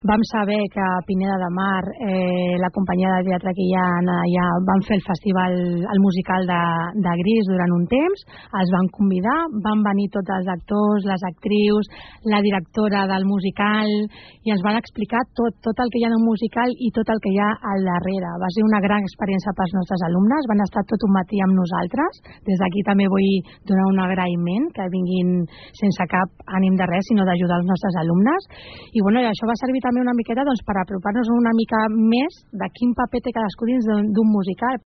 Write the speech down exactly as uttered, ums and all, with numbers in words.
Vam saber que a Pineda de Mar, eh, la companyia de teatre que hi ha allà, van fer el festival, el musical de, de Gris durant un temps, els van convidar, van venir tots els actors, les actrius, la directora del musical, i ens van explicar tot, tot el que hi ha en un musical i tot el que hi ha al darrere. Va ser una gran experiència pels nostres alumnes, van estar tot un matí amb nosaltres. Des d'aquí també vull donar un agraïment, que vinguin sense cap ànim de res, sinó d'ajudar els nostres alumnes. I bueno, i això va servir també una miqueta doncs, per apropar-nos una mica més de quin paper té cadascú dins d'un musical,